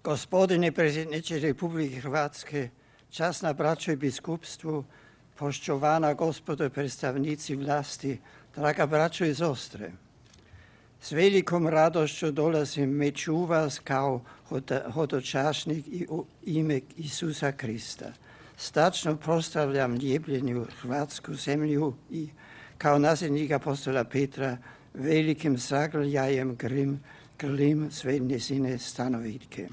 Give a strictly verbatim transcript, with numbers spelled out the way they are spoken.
Gospodine predsjedniče Republike Hrvatske, časna braćo i biskupstvu, poštovana gospodo predstavnici vlasti, draga braćo i sestre, s velikom radošću dolazim među vas kao hodočasnik i u ime Isusa Krista. Stačno proslavljam ljepljenju Hrvatsku zemlju i kao nasljednik apostola Petra velikim zagrljajem grlim, grlim sve njezine stanovitke.